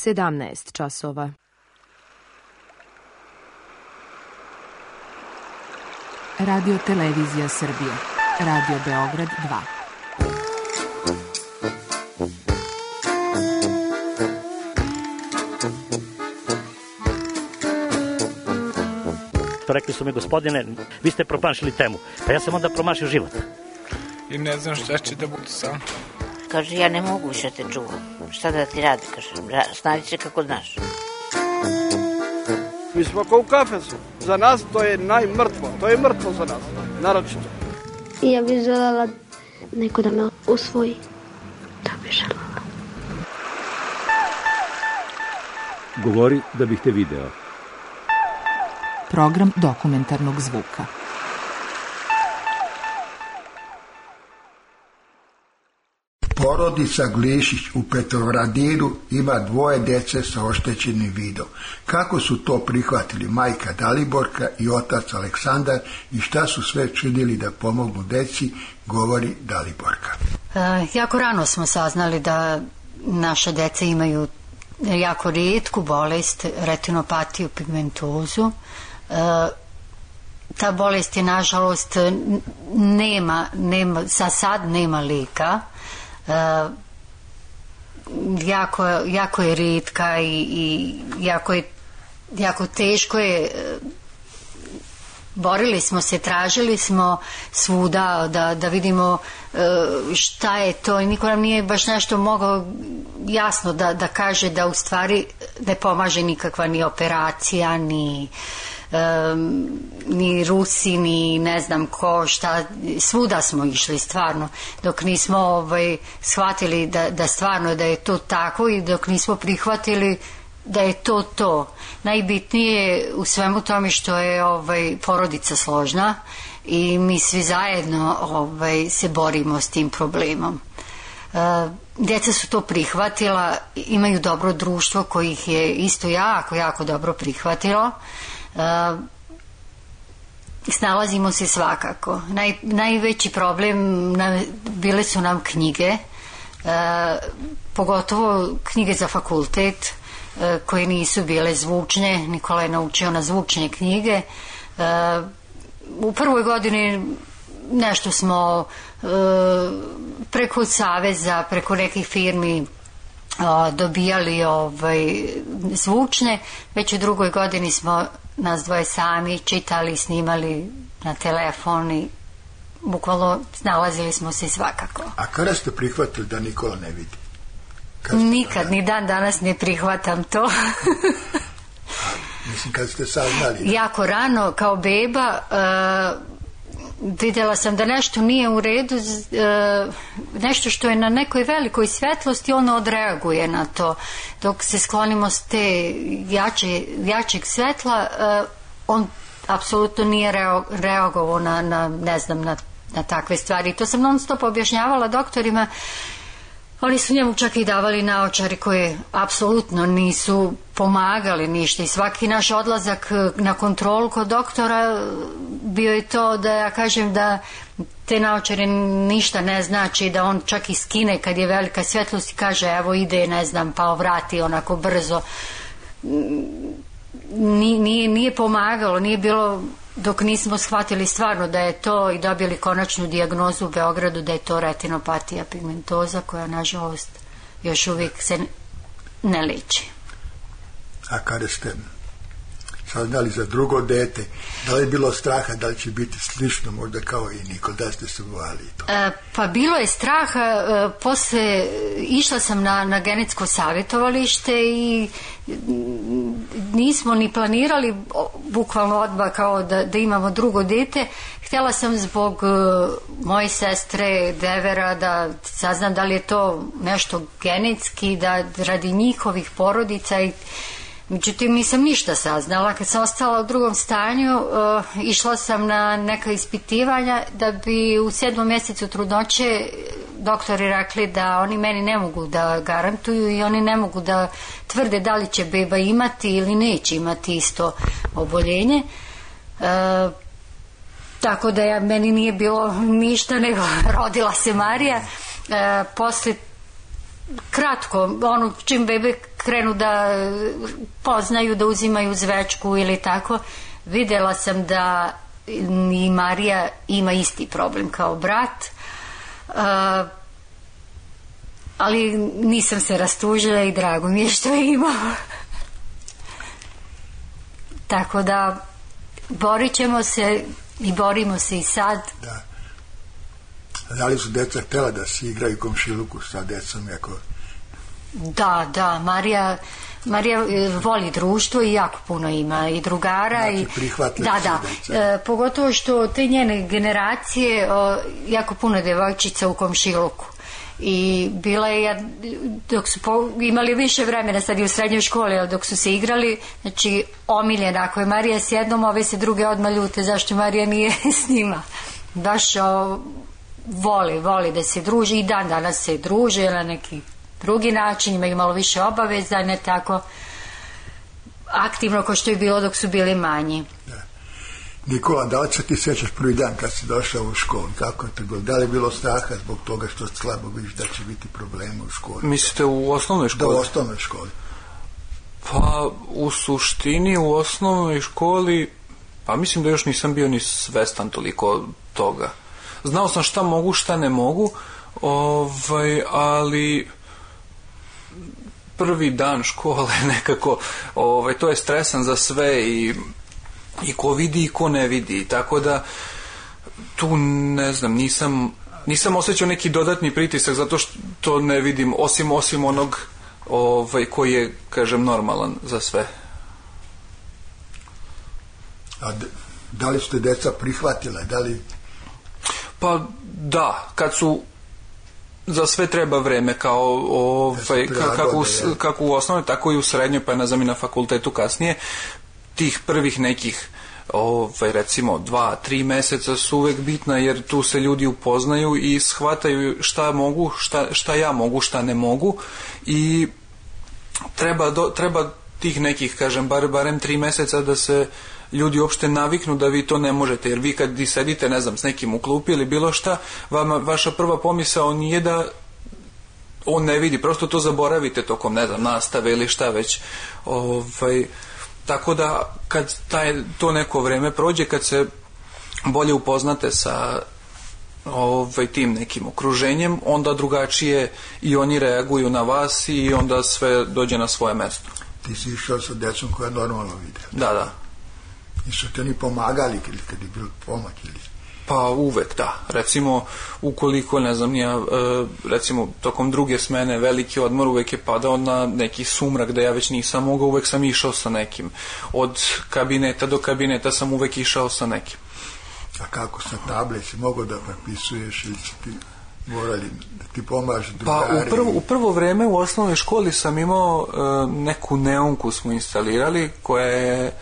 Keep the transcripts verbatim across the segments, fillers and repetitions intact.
sedamnaest časova. Radio Televizija Srbije. Radio Beograd dva. Rekli su mi, gospodine, vi ste promašili temu. Pa ja sam onda promašio život. I ne znam šta će da bude sam. Kaže, ja ne mogu više te čuvam. Šta da ti radi, kaže, snađi se kako znaš. Mi smo kao u kafesu. Za nas to je najmrtvo. To je mrtvo za nas, naročito. Ja bih želela neko da me usvoji. To bih želela. Govori da bih te video. Program dokumentarnog zvuka. Porodica Glišić u Petrovaradinu ima dvoje dece sa oštećenim vidom. Kako su to prihvatili majka Daliborka i otac Aleksandar i šta su sve činili da pomognu deci, govori Daliborka. E, jako rano smo saznali da naše dece imaju jako rijetku bolest, retinopatiju pigmentozu. E, ta bolest je, nažalost, nema, nema, za sad nema lijeka. E, jako, jako je rijetka i, i jako je jako teško je. Borili smo se, tražili smo svuda da, da vidimo šta je to i niko nam nije baš nešto mogao jasno da, da kaže da u stvari ne pomaže nikakva ni operacija, ni Um, ni Rusi, ni ne znam ko, šta, svuda smo išli stvarno, dok nismo ovaj, shvatili da, da stvarno da je to tako i dok nismo prihvatili da je to to. Najbitnije je u svemu tome što je ovaj, porodica složna i mi svi zajedno ovaj, se borimo s tim problemom. Uh, djeca su to prihvatila, imaju dobro društvo koji ih je isto jako, jako dobro prihvatilo. Uh, snalazimo se svakako. Naj, najveći problem na, bile su nam knjige, uh, pogotovo knjige za fakultet, uh, koje nisu bile zvučne. Nikola je naučio na zvučne knjige. Uh, u prvoj godini nešto smo uh, preko saveza, preko nekih firmi dobijali ovaj, zvučne. Već u drugoj godini smo nas dvoje sami čitali, snimali na telefon i bukvalno snalazili smo se svakako. A kada ste prihvatili da Nikola ne vidi? Nikad, ni dan danas ne prihvatam to. A, mislim, kad ste saznali? Jako rano, kao beba, uh, vidjela sam da nešto nije u redu, nešto što je na nekoj velikoj svetlosti, ono odreaguje na to. Dok se sklonimo s te jače, jačeg svetla, on apsolutno nije reagovao na, na ne znam, na, na takve stvari. To sam non stop objašnjavala doktorima. Oni su njemu čak i davali naočari koje apsolutno nisu pomagali ništa i svaki naš odlazak na kontrolu kod doktora bio je to da ja kažem da te naočare ništa ne znači, da on čak i skine kad je velika svjetlost i kaže evo ide, ne znam, pa vrati onako brzo. Nije, nije pomagalo, nije bilo dok nismo shvatili stvarno da je to i dobili konačnu dijagnozu u Beogradu da je to retinopatija pigmentoza koja nažalost još uvijek se ne liči. A kada ste saznali za drugo dete, da li je bilo straha da li će biti slično možda kao i Nikola, da ste se bojali to? E, pa bilo je straha, e, posle išla sam na, na genetsko savjetovalište i nismo ni planirali bukvalno odmah kao da, da imamo drugo dete. Htjela sam zbog e, moje sestre, devera, da saznam da li je to nešto genetski, da radi njihovih porodica i međutim nisam ništa saznala. Kad sam ostala u drugom stanju, uh, išla sam na neka ispitivanja da bi u sedmom mjesecu trudnoće doktori rekli da oni meni ne mogu da garantuju i oni ne mogu da tvrde da li će beba imati ili neće imati isto oboljenje. Uh, tako da ja, meni nije bilo ništa nego rodila se Marija. Uh, posle kratko, ono, čim bebe krenu da poznaju, da uzimaju zvečku ili tako, videla sam da i Marija ima isti problem kao brat, uh, ali nisam se rastužila i drago mi je što je imao. Tako da borit ćemo se i borimo se i sad. Da. Da li su deca htjela da se igraju komšiluku sa decom? Jako... Da, da, Marija Marija voli društvo i jako puno ima i drugara. Znači, i prihvatili da, da. E, pogotovo što te njene generacije, o, jako puno devojčica u komšiluku. I bila je, dok su po, imali više vremena, sad i u srednjoj školi, dok su se igrali, znači omiljena, ako je Marija s jednom, ove se druge odmah ljute, zašto Marija nije s njima. Baš o, voli, voli da se druži i dan danas se druže na neki drugi način, imaju malo više obaveza, ne tako aktivno kao što je bilo dok su bili manji. Da. Nikola, da li se ti sjećaš prvi dan kad si došao u školu? Kako je to bilo? Da li je bilo straha zbog toga što slabo vidiš da će biti problema u školi? Mislite u osnovnoj školi? Da, u osnovnoj školi. Pa u suštini u osnovnoj školi, pa mislim da još nisam bio ni svestan toliko toga. Znao sam šta mogu, šta ne mogu, ovaj, ali prvi dan škole nekako, ovaj, to je stresan za sve i, i ko vidi i ko ne vidi, tako da tu ne znam, nisam, nisam osjećao neki dodatni pritisak zato što ne vidim, osim, osim onog ovaj, koji je, kažem, normalan za sve. A da li su te deca prihvatile? Da li... Pa da, kad su za sve treba vreme, kao ovaj, kako, u, kako u osnovnoj, tako i u srednjoj, pa ne znam i na fakultetu kasnije, tih prvih nekih ovaj, recimo dva, tri meseca su uvek bitna, jer tu se ljudi upoznaju i shvataju šta mogu, šta, šta ja mogu, šta ne mogu i treba, do, treba tih nekih, kažem, bar, barem tri meseca da se ljudi uopšte naviknu da vi to ne možete, jer vi kad sedite, ne znam, s nekim u klupi ili bilo šta, vama, vaša prva pomisao nije da on ne vidi, prosto to zaboravite tokom, ne znam, nastave ili šta već. Ovaj, tako da kad taj, to neko vreme prođe, kad se bolje upoznate sa ovaj, tim nekim okruženjem, onda drugačije i oni reaguju na vas i onda sve dođe na svoje mesto. Ti si išao sa decom koja normalno vide. Da, da. I su te oni pomagali ili kad je bilo pomoć ili... Pa uvek, da. Recimo, ukoliko, ne znam, ja, recimo, tokom druge smene veliki odmor uvek je padao na neki sumrak da ja već nisam mogao, uvek sam išao sa nekim. Od kabineta do kabineta sam uvek išao sa nekim. A kako sa table si mogao da prepisuješ ili si ti morali da ti pomažu drugari? Pa u prvo, u prvo vreme u osnovnoj školi sam imao uh, neku neonku smo instalirali koja je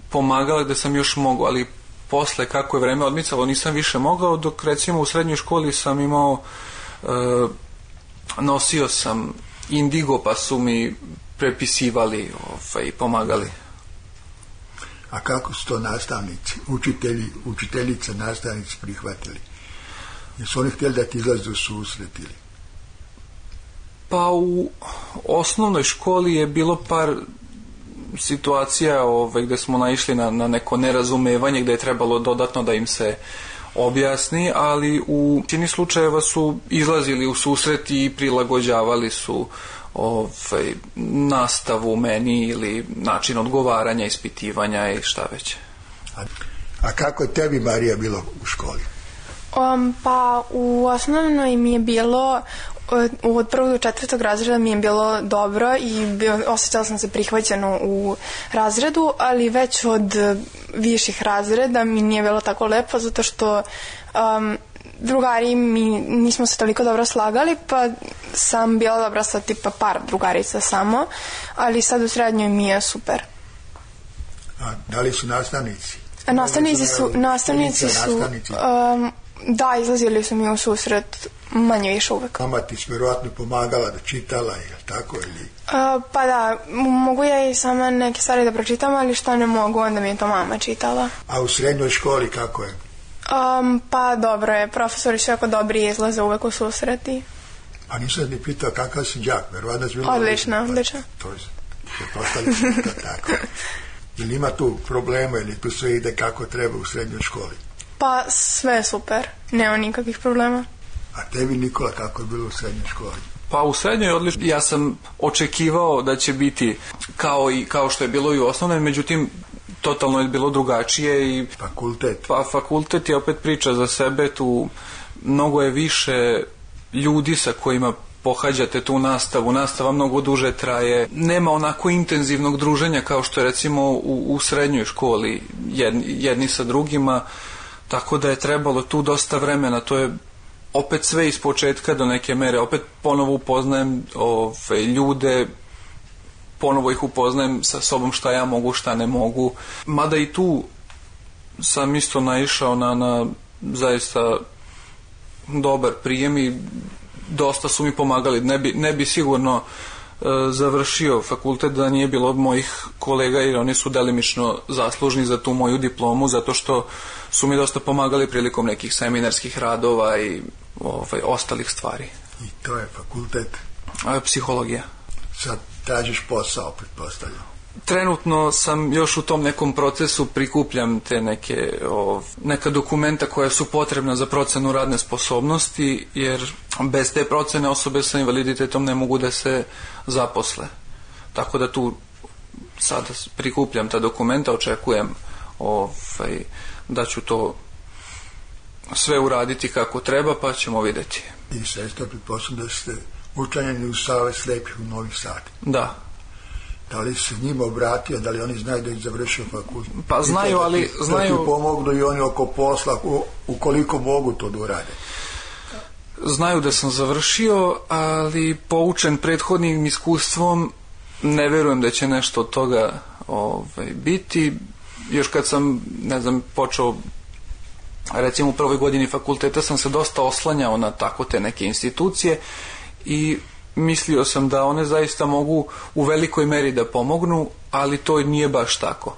pomagala da sam još mogao, ali posle kako je vreme odmicalo nisam više mogao, dok recimo u srednjoj školi sam imao e, nosio sam indigo pa su mi prepisivali ovaj, pomagali. A kako su to nastavnici, učitelji, učiteljice, nastavnici prihvatili? Jesu oni htjeli da ti izlaze u susret ili? Pa u osnovnoj školi je bilo par situacija ovaj, gde smo naišli na, na neko nerazumevanje gde je trebalo dodatno da im se objasni, ali u većini slučajeva su izlazili u susret i prilagođavali su ovaj, nastavu meni ili način odgovaranja, ispitivanja i šta već. A, a kako je tebi, Marija, bilo u školi? Um, pa u osnovnoj mi je bilo od prvog do četvrtog razreda mi je bilo dobro i bio, osjećala sam se prihvaćeno u razredu, ali već od viših razreda mi nije bilo tako lepo zato što um, drugari mi nismo se toliko dobro slagali, pa sam bila dobra sa tipa par drugarica samo, ali sad u srednjoj mi je super. A da li su nastavnici? A nastavnici su, nastavnici su um, da, izlazili su mi u susret manje više uvek. Mama ti s vjerojatno pomagala da čitala, je tako ili? Uh, pa da, mogu ja i sama neke stvari da pročitam, ali što ne mogu, onda mi je to mama čitala. A u srednjoj školi kako je? Um, pa dobro je, profesori su jako dobri i izlaze uvek u susreti. Pa nisam ni pitao kakav si đak, verovatno si bilo... Odlično, odlično. To je, se postavlja to tako. Ili ima tu problema, ili tu sve ide kako treba u srednjoj školi? Pa sve je super, nema nikakvih problema. A tebi, Nikola, kako je bilo u srednjoj školi? Pa u srednjoj odlično. Ja sam očekivao da će biti kao, i, kao što je bilo i u osnovnoj, međutim totalno je bilo drugačije. I fakultet? Pa fakultet je opet priča za sebe, tu mnogo je više ljudi sa kojima pohađate tu nastavu, nastava mnogo duže traje, nema onako intenzivnog druženja kao što je recimo u, u srednjoj školi jedni, jedni sa drugima, tako da je trebalo tu dosta vremena, to je opet sve iz početka do neke mere, opet ponovo upoznajem ove, ljude, ponovo ih upoznajem sa sobom šta ja mogu, šta ne mogu, mada i tu sam isto naišao na, na zaista dobar prijem i dosta su mi pomagali, ne bi, ne bi sigurno e, završio fakultet da nije bilo od mojih kolega, jer oni su delimično zaslužni za tu moju diplomu, zato što su mi dosta pomagali prilikom nekih seminarskih radova i ovaj, ostalih stvari. I to je fakultet? E, psihologija. Sad tražiš posao, pretpostavljam. Trenutno sam još u tom nekom procesu, prikupljam te neke ov, neka dokumenta koja su potrebna za procenu radne sposobnosti, jer bez te procene osobe sa invaliditetom ne mogu da se zaposle. Tako da tu sad prikupljam ta dokumenta, očekujem ovaj, da ću to sve uraditi kako treba, pa ćemo vidjeti. I sestra, pretpostavljam da ste učlanjeni u Savez slepih u Novi Sad. Da. Da li se njima obratio, da li oni znaju da ih završio fakultet? Pa znaju, ali... Da ti, znaju... da ti pomognu i oni oko posla, u, ukoliko mogu to da urade. Znaju da sam završio, ali poučen prethodnim iskustvom ne verujem da će nešto od toga ovaj, biti. Još kad sam, ne znam, počeo, recimo u prvoj godini fakulteta sam se dosta oslanjao na tako te neke institucije i mislio sam da one zaista mogu u velikoj meri da pomognu, ali to nije baš tako.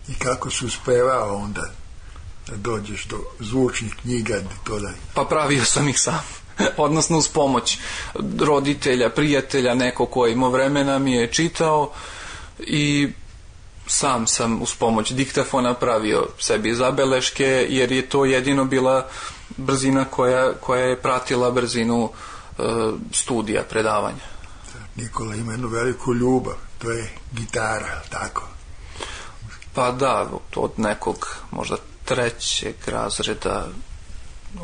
I kako si uspevao onda da dođeš do zvučnih knjiga? To da... Pa pravio sam ih sam. Odnosno uz pomoć roditelja, prijatelja, neko ko imao vremena mi je čitao i sam sam uz pomoć diktafona pravio sebi zabeleške, jer je to jedino bila brzina koja, koja je pratila brzinu studija, predavanja. Nikola ima jednu veliku ljubav, to je gitara, tako? Pa da, od nekog možda trećeg razreda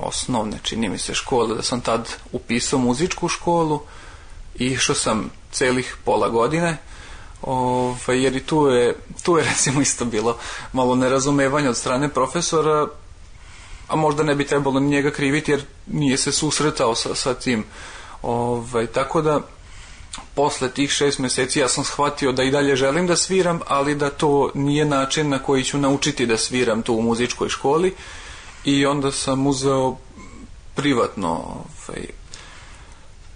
osnovne, čini mi se, škole, da sam tad upisao muzičku školu i išao sam celih pola godine, ovaj, jer i tu je, tu je recimo isto bilo malo nerazumevanja od strane profesora, a možda ne bi trebalo njega kriviti jer nije se susretao sa, sa tim. Ovaj, tako da posle tih šest meseci ja sam shvatio da i dalje želim da sviram, ali da to nije način na koji ću naučiti da sviram tu u muzičkoj školi, i onda sam uzeo privatno ovaj,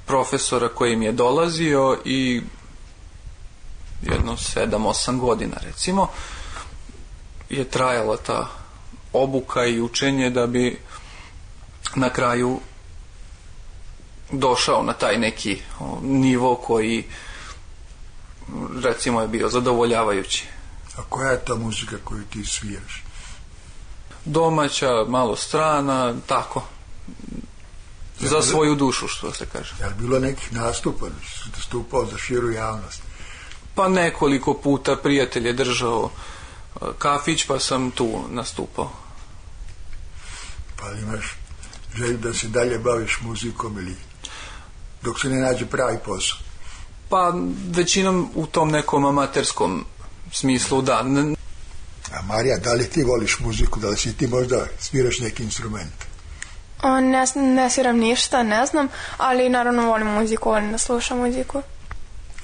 profesora koji mi je dolazio i jedno sedam osam godina recimo je trajala ta obuka i učenje da bi na kraju došao na taj neki o, nivo koji recimo je bio zadovoljavajući. A koja je ta muzika koju ti sviraš? Domaća, malo strana, tako. Za bilo, svoju dušu, što se kaže. Je li bilo nekih nastupa, nastupao za širu javnost? Pa nekoliko puta prijatelj je držao kafić, pa sam tu nastupao. Pa li imaš želju da se dalje baviš muzikom ili dok se ne nađe pravi posao? Pa većinom u tom nekom amaterskom smislu, da. A Marija, da li ti voliš muziku, da li si ti možda sviraš neki instrument? O, ne, ne sviram ništa, ne znam, ali naravno volim muziku, volim da slušam muziku.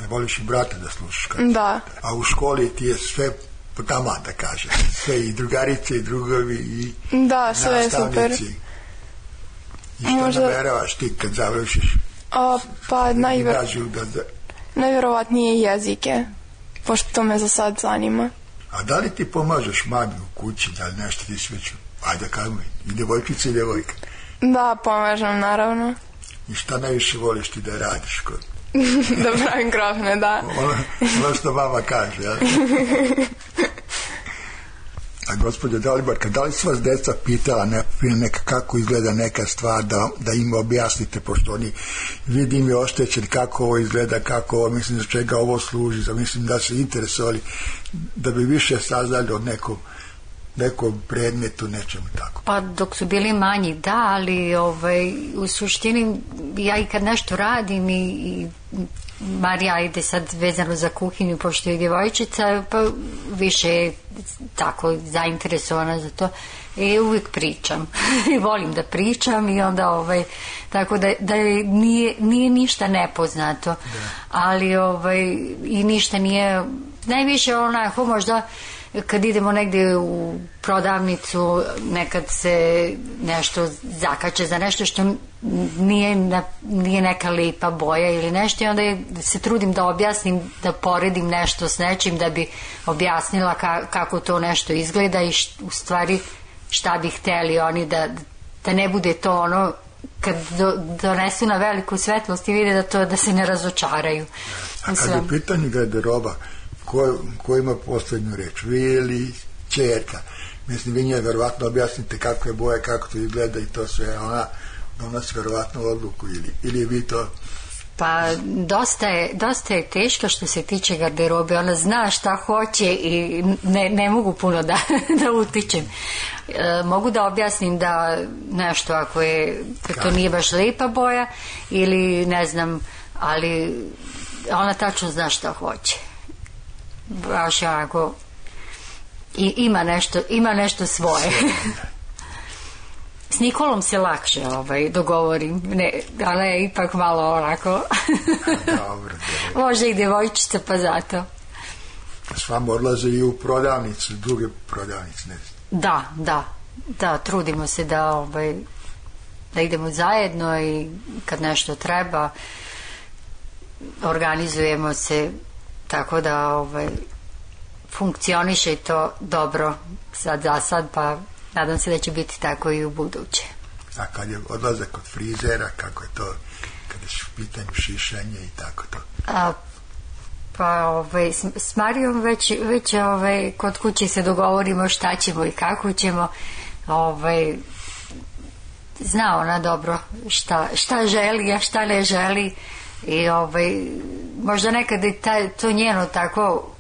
Ne voliš i brata da slušaš? Kako? Da. A u školi ti je sve po tama, da kažem. Sve i drugarice i drugovi i da, sve je super. I što možda... nameravaš ti kad završiš? O, pa najver... da, da... najverovatnije jezike, pošto to me za sad zanima. A da li ti pomažeš mami u kući, da li nešto ti sveću? Ajde, kaj mi, i devojčice i devojka? Da, pomažem, naravno. I šta najviše voliš ti da radiš kod? Da pravim krofne, da. Ono, ono što mama kaže, ja? A gospođo Daliborka, da li su vas deca pitala ne, neka, kako izgleda neka stvar, da, da im objasnite, pošto oni vidim je oštećeni, kako ovo izgleda, kako ovo, mislim, za čega ovo služi, za, mislim da su interesovali, da bi više saznali od nekog nekom predmetu, nečemu tako. Pa dok su bili manji, da, ali ovaj, u suštini ja i kad nešto radim i, i Marija ide sad vezano za kuhinju, pošto je djevojčica, pa više je tako zainteresovana za to i uvijek pričam i volim da pričam i onda ovaj, tako da, da nije, nije ništa nepoznato, da. Ali ovaj, i ništa nije, najviše onako možda kad idemo negdje u prodavnicu, nekad se nešto zakače za nešto što nije, na, nije neka lipa boja ili nešto i onda je, se trudim da objasnim, da poredim nešto s nečim da bi objasnila ka, kako to nešto izgleda i š, u stvari šta bi hteli oni da, da ne bude to ono kad do, donesu na veliku svetlost i vide da to da se ne razočaraju. A kad je u pitanju garderoba, Ko, ko ima posljednju reč, vi ili čerka? Mislim, vi njoj verovatno objasnite kako je boja, kako to izgleda i to sve, ona donosi verovatno odluku ili, ili vi to... Pa dosta je, dosta je teško što se tiče garderobe, ona zna šta hoće i ne, ne mogu puno da, da utičem. E, mogu da objasnim da nešto ako je, to nije baš lijepa boja ili ne znam, ali ona tačno zna šta hoće. Baš onako i ima nešto, ima nešto svoje. S Nikolom se lakše ovaj, dogovorim, ne, ali je ipak malo onako dobro, može i djevojčica, pa zato s vama odlaze i u prodavnicu, druge prodavnice, ne znam. Da, da, da, trudimo se da ovaj, da idemo zajedno i kad nešto treba organizujemo se tako da ovaj, funkcioniše to dobro sad za sad, pa nadam se da će biti tako i u buduće. A kad je odlazak kod frizera, kako je to, kada je u pitanju šišanje i tako to? A, pa ovaj, s, s Marijom već, već ovaj, kod kuće se dogovorimo šta ćemo i kako ćemo. Ovaj, zna ona dobro šta, šta želi, a šta ne želi. I ovaj, možda nekad je ta, to njeno tako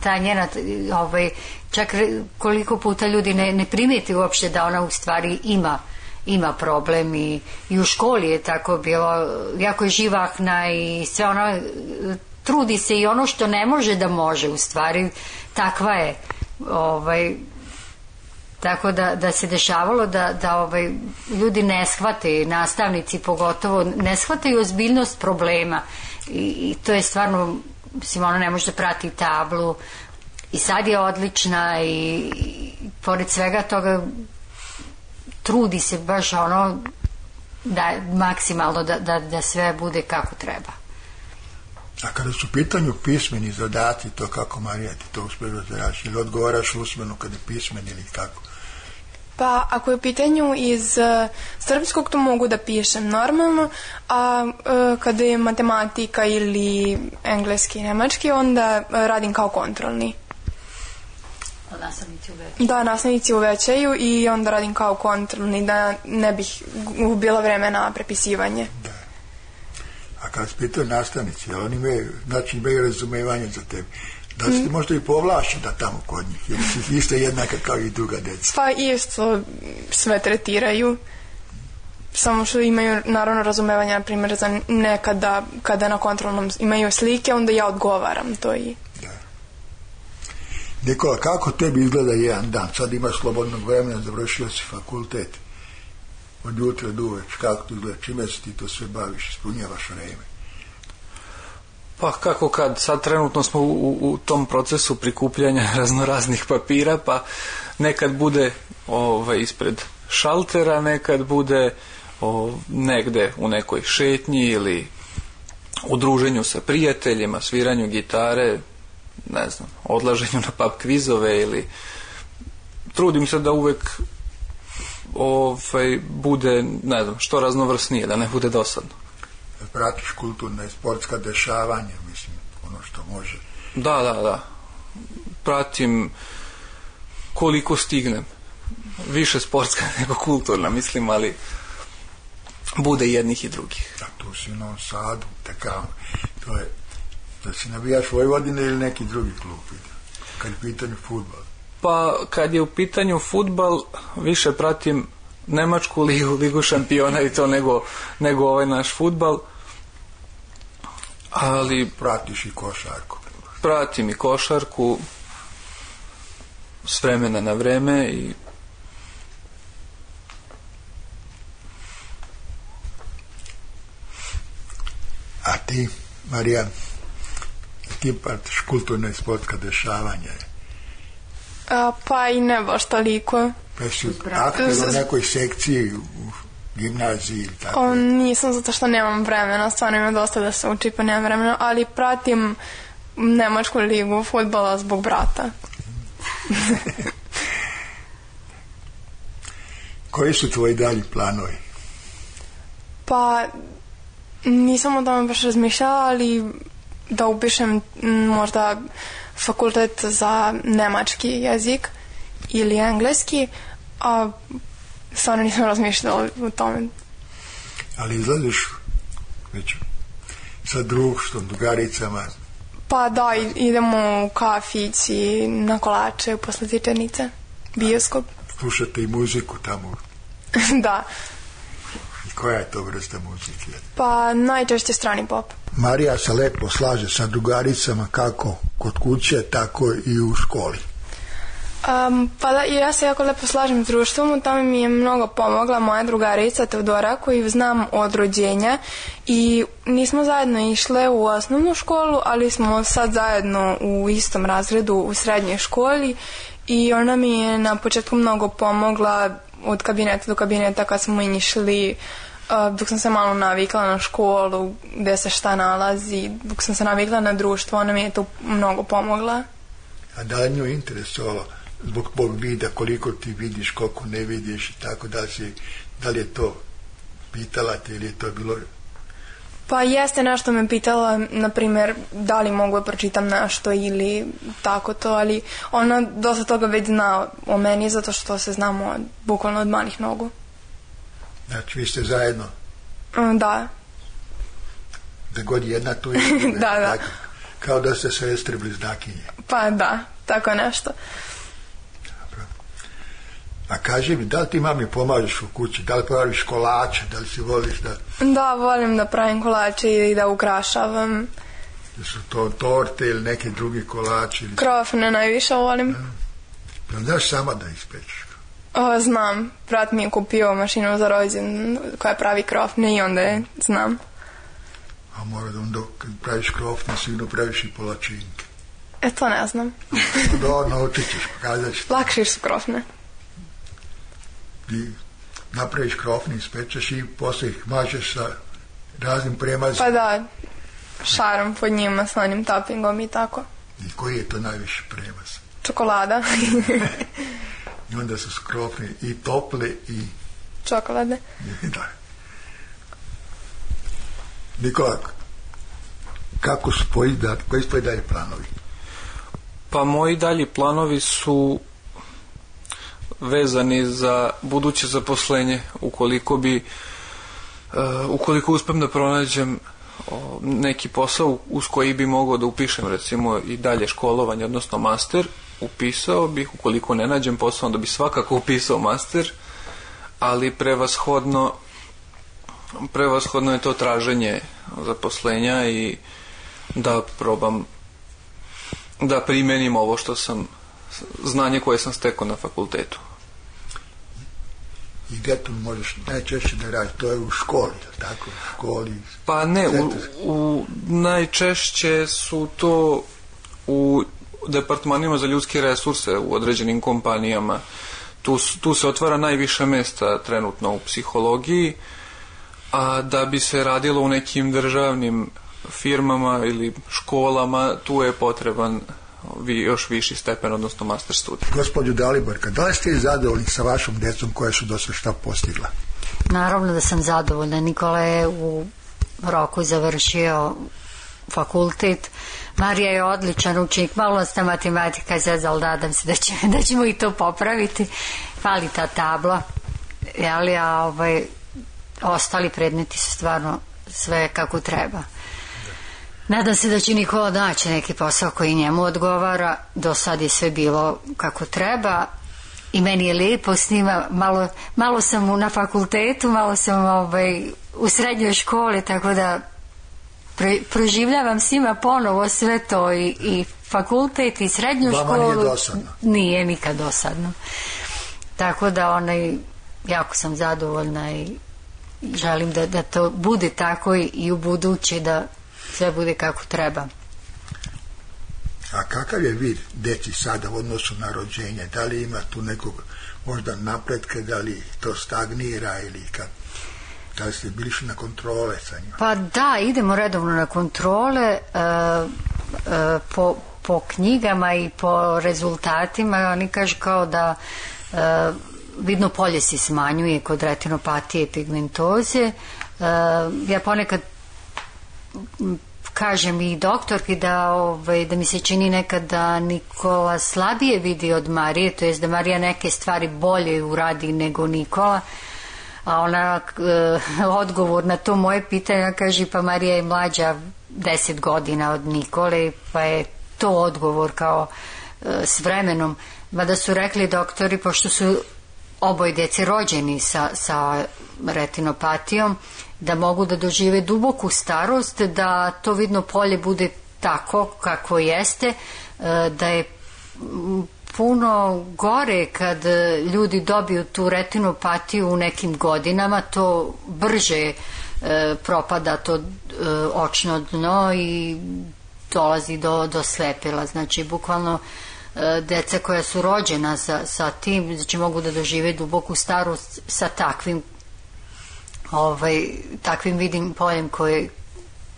ta njena ovaj, čak koliko puta ljudi ne, ne primijeti uopšte da ona u stvari ima ima problem i, i u školi je tako bilo, jako je živahna i sve ono, trudi se i ono što ne može da može u stvari, takva je ovaj, tako da, da se dešavalo da, da ovaj, ljudi ne shvate, nastavnici pogotovo ne shvataju ozbiljnost problema i, i to je stvarno, mislim, ona ne može da prati tablu i sad je odlična i, i pored svega toga trudi se baš ono da maksimalno da, da, da sve bude kako treba. A kada su u pitanju pismeni zadaci, to kako, Marija, ti to uspješ da zadaš ili odgovaraš usmeno kada je pismen ili kako? Pa ako je u pitanju iz uh, srpskog, to mogu da pišem normalno, a uh, kada je matematika ili engleski i nemački, onda uh, radim kao kontrolni. Nastavnici uvećaju. Da, nastavnici uvećaju i onda radim kao kontrolni, da ne bih gubila vreme na prepisivanje. Da. A kada se pitaju nastavnici, oni imaju, znači imaju razumevanje za tebe. Da li ste možda i povlašeni da tamo kod njih, jer si isto jednaka kao i druga deca? Pa isto sve tretiraju, samo što imaju naravno razumevanje, na primjer, za nekada kada na kontrolnom imaju slike, onda ja odgovaram to i... Da. Nikola, kako tebi izgleda jedan dan? Sad imaš slobodnog vremena, završio si fakultet. Od jutra do uveč, kako to izgleda? Čime se ti to sve baviš, ispunjavaš vreme? Pa kako kad, sad trenutno smo u, u tom procesu prikupljanja raznoraznih papira, pa nekad bude ovaj, ispred šaltera, nekad bude o, negde u nekoj šetnji ili u druženju sa prijateljima, sviranju gitare, ne znam, odlaženju na pub kvizove ili trudim se da uvek ovaj, bude, ne znam, što raznovrsnije, da ne bude dosadno. Pratiš kulturna i sportska dešavanja, mislim, ono što može. Da, da, da. Pratim koliko stignem. Više sportska nego kulturna, mislim, ali bude jednih i drugih. Da, tu si u Novom Sadu, takav, to je, da si navijaš Vojvodine ili neki drugi klub, kad je u pitanju fudbal? Pa, kad je u pitanju fudbal, više pratim Nemačku ligu, ligu šampiona i to nego, nego ovaj naš fudbal. Ali pratiš i košarku? Pratim i košarku s vremena na vreme i a ti, Marija, ti pratiš kulturna i sportska dešavanja? A, pa i ne baš toliko. Pa si aktivno u nekoj sekciji u gimnaziji ili tako? O, nisam, zato što nemam vremena, stvarno ima dosta da se uči, pa nemam vremena, ali pratim Nemačku ligu fudbala zbog brata. Koji su tvoji dalji planovi? Pa nisam o tome baš razmišljala, ali da upišem možda fakultet za nemački jezik ili engleski, a stvarno nisam razmišljala o tome. Ali izlaziš već sa društvom, drugaricama? Pa da, idemo u kafić i na kolače posle tičernice, bioskop. Slušate i muziku tamo? Da. I koja je to vrsta muzike? Pa najčešće strani pop. Marija se lepo slaže sa drugaricama kako kod kuće, tako i u školi. Um, pa da, ja se jako lepo slažem s društvom, u tome mi je mnogo pomogla moja drugarica Teodora, koju znam od rođenja, i nismo zajedno išle u osnovnu školu, ali smo sad zajedno u istom razredu u srednjoj školi, i ona mi je na početku mnogo pomogla od kabineta do kabineta kad smo išli, uh, dok sam se malo navikla na školu, gde se šta nalazi, dok sam se navikla na društvo, ona mi je tu mnogo pomogla. A da li nju interesovalo zbog tog vida, koliko ti vidiš, koliko ne vidiš i tako, da li, si, da li je to pitala te ili je to bilo? Pa jeste, nešto me pitala, na primjer, da li mogu da pročitam nešto ili tako to, ali ona dosta toga već zna o meni, zato što se znamo bukvalno od malih nogu. Znači, vi ste zajedno? Da. Da god jedna tu je? Da, da. Tako, kao da ste sestre bliznakinje? Pa da, tako nešto. Dobro. A kaži mi, da li ti mami pomažeš u kući, da li praviš kolače, da li si voliš da... Da, volim da pravim kolače i da ukrašavam. Da su to torte ili neke drugi kolači? Ili... Krofne najviše volim. Da. Znaš sama da ispečeš? O, znam, brat mi je kupio mašinu za rođen koja pravi krofne i onda je znam. A mora da onda kad praviš krofne sigurno praviš i polačinke. E, to ne znam. Da, naučit ćeš, pokazat ćeš. Lakše su krofne. I napraviš krofne, ispečeš i posle ih mažeš sa raznim premazima. Pa da, šarom pod njima, sa onim toppingom i tako. I koji je to najviše premaz? Čokolada. I onda su krofne i tople i... Čokolade. Da. Nikola, kako su tvoji, koji su tvoji dalje planovi? Pa moji dalji planovi su vezani za buduće zaposlenje, ukoliko bi uh, ukoliko uspem da pronađem uh, neki posao uz koji bi mogao da upišem recimo i dalje školovanje, odnosno master, upisao bih. Ukoliko ne nađem posao, onda bi svakako upisao master, ali prevashodno prevashodno je to traženje zaposlenja i da probam da primenim ovo što sam, znanje koje sam stekao na fakultetu. I gdje tu možeš najčešće da radiš? To je u školi, tako? U školi? Pa ne, u, u, najčešće su to u departmanima za ljudske resurse u određenim kompanijama. Tu, tu se otvara najviše mesta trenutno u psihologiji, a da bi se radilo u nekim državnim firmama ili školama, tu je potreban vi, još viši stepen, odnosno master studij. Gospođo Daliborka, da li ste zadovoljni sa vašom djecom koja su do sada šta postigla? Naravno da sam zadovoljna. Nikola je u roku završio fakultet. Marija je odličan učenik, malo nas ta matematika je zezala, ali nadam se da, će, da ćemo i to popraviti. Fali ta tabla, jeli, a ovaj, ostali predmeti su stvarno sve kako treba. Nadam se da će Nikola naći neki posao koji njemu odgovara. Do sad je sve bilo kako treba i meni je lijepo s njima. Malo, malo sam na fakultetu, malo sam ovaj, u srednjoj školi, tako da pre, proživljavam s njima ponovo sve to i, i fakultet i srednju Vama školu. Nije dosadno? Nije nikad dosadno. Tako da onaj, jako sam zadovoljna i želim da, da to bude tako i, i u buduće, da sve bude kako treba. A kakav je vid deci sada u odnosu na rođenje? Da li ima tu nekog možda napretka, da li to stagnira ili kad, da li ste bili na kontrole sa njima? Pa da, idemo redovno na kontrole, e, e, po, po knjigama i po rezultatima. Oni kažu kao da e, vidno polje se smanjuje kod retinopatije i pigmentoze. E, ja ponekad kažem i doktorki da, ovaj, da mi se čini nekad da Nikola slabije vidi od Marije, to jest da Marija neke stvari bolje uradi nego Nikola, a ona e, odgovor na to moje pitanje kaže pa Marija je mlađa deset godina od Nikole, pa je to odgovor kao e, s vremenom. Mada su rekli doktori, pošto su oboje djece rođeni sa, sa retinopatijom, da mogu da dožive duboku starost, da to vidno polje bude tako kako jeste, da je puno gore kad ljudi dobiju tu retinopatiju u nekim godinama, to brže propada to očno dno i dolazi do, do slepila. Znači, bukvalno deca koja su rođena sa, sa tim, znači mogu da dožive duboku starost sa takvim ovaj, takvim vidim poljem koje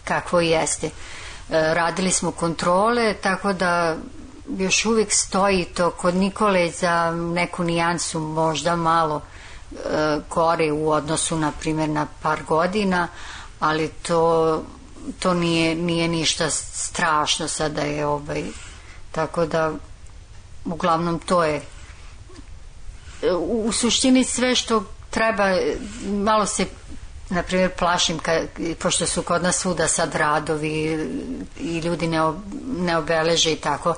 kakvo jeste. E, radili smo kontrole, tako da još uvijek stoji to kod Nikole za neku nijansu možda malo e, gore u odnosu na primjer na par godina, ali to, to nije, nije ništa strašno sada je ovaj, tako da uglavnom to je u, u suštini sve što treba. Malo se na primjer plašim ka, pošto su kod nas svuda sad radovi i ljudi ne, ne obeleže i tako,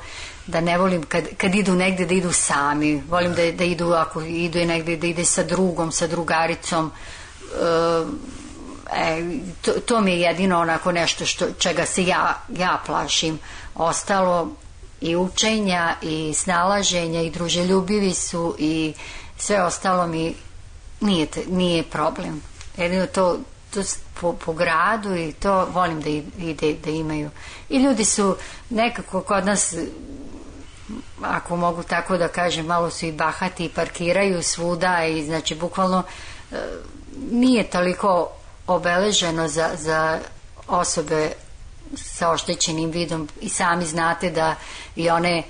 da ne volim kad, kad idu negdje da idu sami, volim da, da idu, ako idu je negdje da ide sa drugom, sa drugaricom. e, to, to mi je jedino onako nešto što, čega se ja, ja plašim. Ostalo i učenja i snalaženja i druželjubivi su i sve ostalo mi nije, nije problem. Jedino to, to po, po gradu i to volim da ide, da imaju. I ljudi su nekako kod nas, ako mogu tako da kažem, malo su i bahati i parkiraju svuda i znači bukvalno nije toliko obeleženo za, za osobe sa oštećenim vidom i sami znate da i one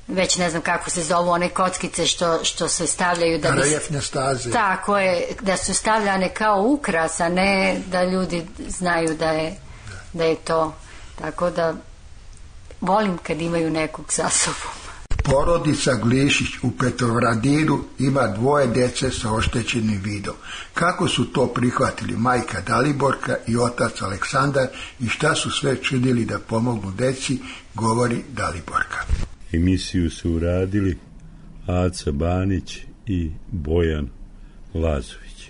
već ne znam kako se zovu one kockice što, što se stavljaju da bi, reljefne staze. Tako je, da su stavljane kao ukras, a ne da ljudi znaju da je, da je to, tako da volim kad imaju nekog sa sobom. Porodica Glišić u Petrovaradiru ima dvoje djece sa oštećenim vidom. Kako su to prihvatili majka Daliborka i otac Aleksandar i šta su sve činili da pomognu djeci, govori Daliborka. Emisiju su uradili Aca Banić i Bojan Lazović.